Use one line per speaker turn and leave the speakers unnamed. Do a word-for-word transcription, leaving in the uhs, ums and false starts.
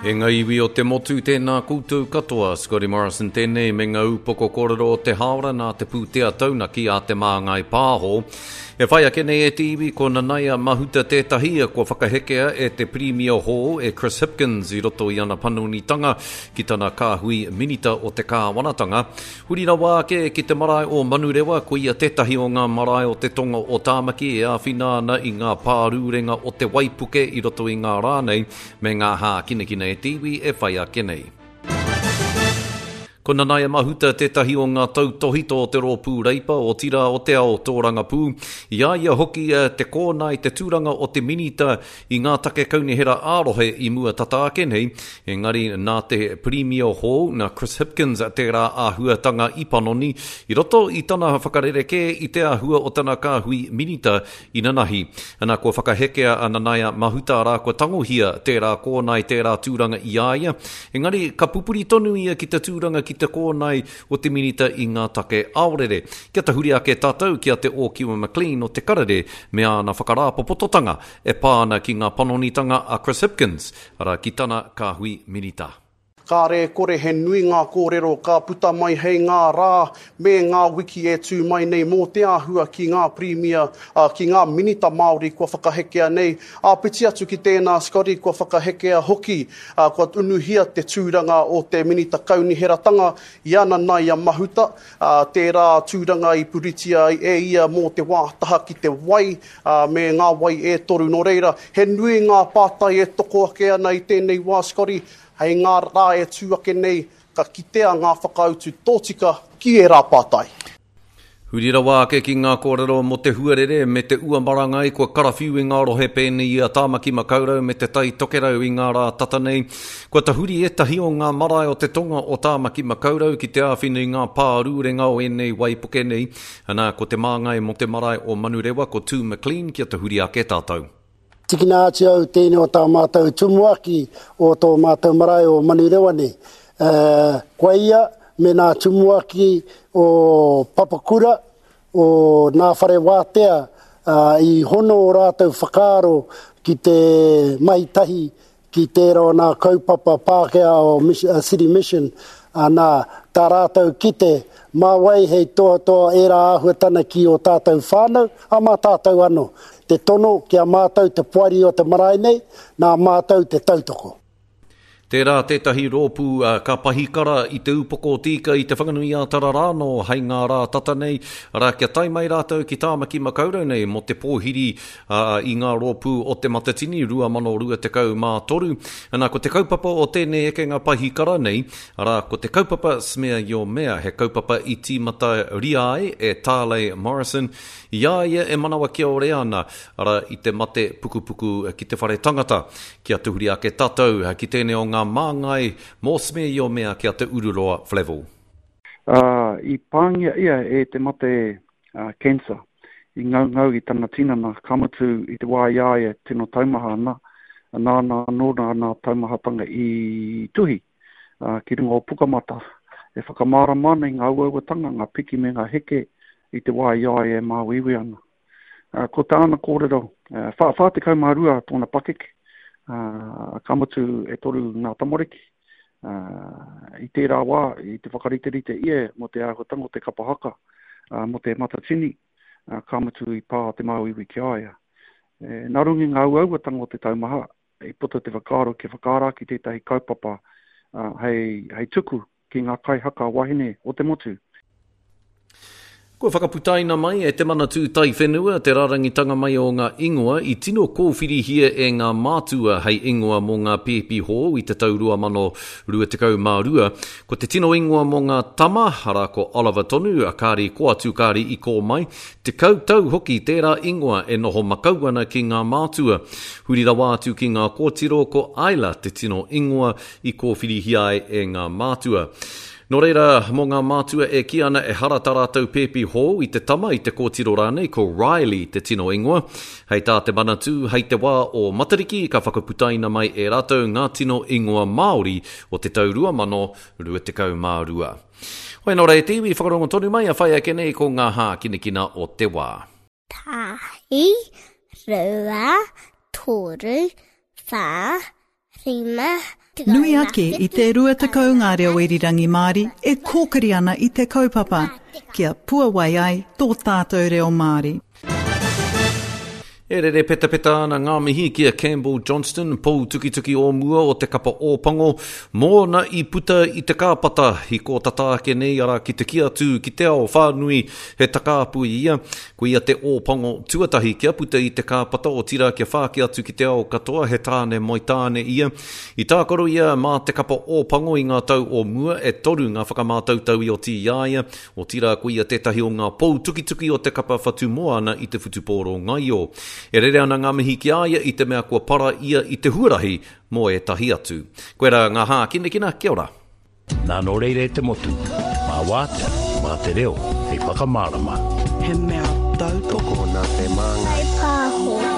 E ngā iwi o te motu, tēnā koutou katoa. Scotty Morrison tēnei me ngā upoko kōrero o te hāora nā te pūtea taunaki a Te Māngai Pāho. E whai ake nei e te iwi ko Nanaia Mahuta tētahi kua whakahekea e te Pirimia hou e Chris Hipkins i roto i ana panonitanga ki tana kāhui minita o te kāwanatanga. Huri rawa ake ki te marae o Manurewa, ko ia tētahi o ngā marae o te tonga o Tāmaki e āwhina ana i ngā pārūrenga o te waipuke i roto i ngā rā nei me ngā hākinakina e te iwi e whai ake nei. Ko Nanaia Mahuta tētahi o ngā tautohito o te rōpū Reipa o Tira o te Ao Tōrangapū. I a ia hoki te kōnae te tūranga o te minita i ngā take kaunihera ā-rohe i mua tata ake nei, engari nā te Pirimia hou, nā Chris Hipkins tērā āhuatanga i panoni, i roto i tana whakarerekē i te āhua o tana kāhui minita inanahi. Ana kua whakahekea a Nanaia Mahuta rā kua tangohia tērā kōnae tērā tūranga i a ia, engari ka pupuri tonu ia ki te tūranga ki te kōnae o te minita i ngā take aorere. Kia tahuri ake tātou ki a Te Ōkiwa McLean o Te Karere me āna whakarāpopototanga e pā ana ki ngā panonitanga a Chris Hipkins, arā ki tana kāhui minita.
Kāre e kore he nui ngā kōrero ka puta mai hei ngā rā me ngā wiki e tū mai nei mō te āhua ki ngā pirimia, ki ngā minita Māori kua whakahekea nei. Āpiti atu ki tēnā, Scotty, kua whakahekea hoki, kua unuhia te tūranga o te minita kauniheratanga i a Nanaia Mahuta, tērā tūranga i puritia ai e ia mō te wā taha ki te wai me ngā wai e toru. Nō reira, he nui ngā pātai e toko ake ana i tēnei wā, Scotty, hei ngā rā e tū ake nei, ka kitea ngā whakautu tōtika ki ērā pātai.
Huri rawa ake ki ngā kōrero mō te huarere me te ua marangai kua karawhiu i ngā rohe pēnei i a Tāmaki Makaurau me te Tai Tokerau i ngā rā tata nei. Kua tahuri ētahi o ngā marae o te tonga o Tāmaki Makaurau ki te āwhina i ngā pārūrenga o ēnei waipuke nei. Ana, ko te māngai mō te marae o Manurewa, ko Tū McLean, kia tahuri ake tātou.
Tikina atu au tēnei o tā mātou tumuaki o tō mātou marae o Manurewa nei. Uh, koa ia me nā tumuaki o Papakura, o nā whare wātea, uh, i hono o rātou whakaaro ki te mahi tahi ki tērā o nā kaupapa Pākehā o City Mission, nā tā rātou kite mā wai hei tohatoha ērā āhuatana ki o tātou whānau, a mā tātou anō. Te tono ki a mātou te poari o te marae nei, nā mātou te tautoko.
Tērā tētahi rōpū ka pahikara i te upoko o tīka i te Whanganui ā-Tara rānō hei ngā rā tata nei, arā kia tae mai rātou ki Tāmaki Makaurau nei mō te pōhiri uh, i ngā rōpū o te Matatini rua mano rua tekau mā toru. Ana, ko te kaupapa o tēnei ekenga pahikara nei, arā, ko te kaupapa Smear Your Mea, he kaupapa i tīmata ria ai e Tarley Morrison, i a ia e manawa kia ore ana, arā, i te mate pukupuku ki te whare tangata. Kia tuhuri ake tātou ki tēnei o ngā māngai mō Smear Your Mea ki a Te Ururoa Flavell.
Uh, i pāngia ia e te mate uh, cancer, i ngaungau i tana tinana, ka mutu i te wā i a ia tino taumaha ana, nāna anō nā nā taumahatanga i tuhi uh, ki runga o Pukamata, e whakamārama ana i ngā uauatanga, ngā piki me ngā heke i te wā i a ia e māuiui ana. Uh, ko tāna kōrero, uh, whā, whā tekau mā rua tōna pakeke, Uh, ka mutu e toru ngā tamariki. Uh, i tērā wā, i te whakariterite ia mō te āhuatanga o te kapa haka, uh, mō te Matatini, uh, ka mutu i pā te māuiui ki a ia. E, nā runga i ngā uauatanga o te taumaha, i puta te whakaaro kia whakaara ki tētahi kaupapa uh, hei, hei tuku ki ngā kaihaka wahine o te motu.
Kua whakaputaina mai e te Manatū Taiwhenua te rārangitanga mai o ngā ingoa i tino kōwhirihia e ngā mātua hei ingoa mō ngā pēpi hou i te tau rua mano rua tekau mā rua. Ko te tino ingoa mō ngā tama, arā ko Oliver tonu, a kāri ko atu kāri i kō mai, tekau tau hoki tērā ingoa e noho makau ana ki ngā mātua. Huri rawa atu ki ngā kōtiro ko Ayla te tino ingoa i kōwhirihia ai e ngā mātua. Nō reira, mō ngā mātua e kī ana e hara tā rātou pēpi hou i te tama i te kōtiro rānei, ko Riley te tino ingoa. Hei tā te Manatū, hei te wā o Matariki, ka whakaputaina mai e rātou ngā tino ingoa Māori o te tau rua mano rua tekau mā rua. Hoi nō reira te iwi, whakarongo tonu mai a whai ake nei ko ngā hākinakina o te wā.
Tahi, rua, toru, whā, rima,
Nui ake i te rua tekau ngā reo irirangi Māori e kōkiri ana i te kaupapa, kia puawai ai tō tātou reo Māori.
E rere petapeta ana ngā mihi ki a Campbell Johnston, pou tukituki o mua o te kapa Ōpango, mōna i puta i te kāpata i kō tata ake nei arā ki te kī atu ki te ao whānui he takāpui ia. Ko ia te Ōpango tuatahi kia puta i te kāpata otirā kia whāki atu ki te ao katoa he tāne moe tāne ia. I tākaro ia mā te kapa Ōpango i ngā tau o mua e toru ngā whakamātautau i oti i a ia, otirā ko ia tētahi o ngā pou tukituki o te kapa Whatumoana i te whutupōro ngaio. E rere ana ngā mihi ki a ia i te mea kua para ia i te huarahi mō ētahi atu. Koirā ngā hākinakina, kia ora.
Nā nō reira e te motu, mā wātea, mā te reo, hei whakamārama.
He mea tautoko
nā te māngai.
Pāho.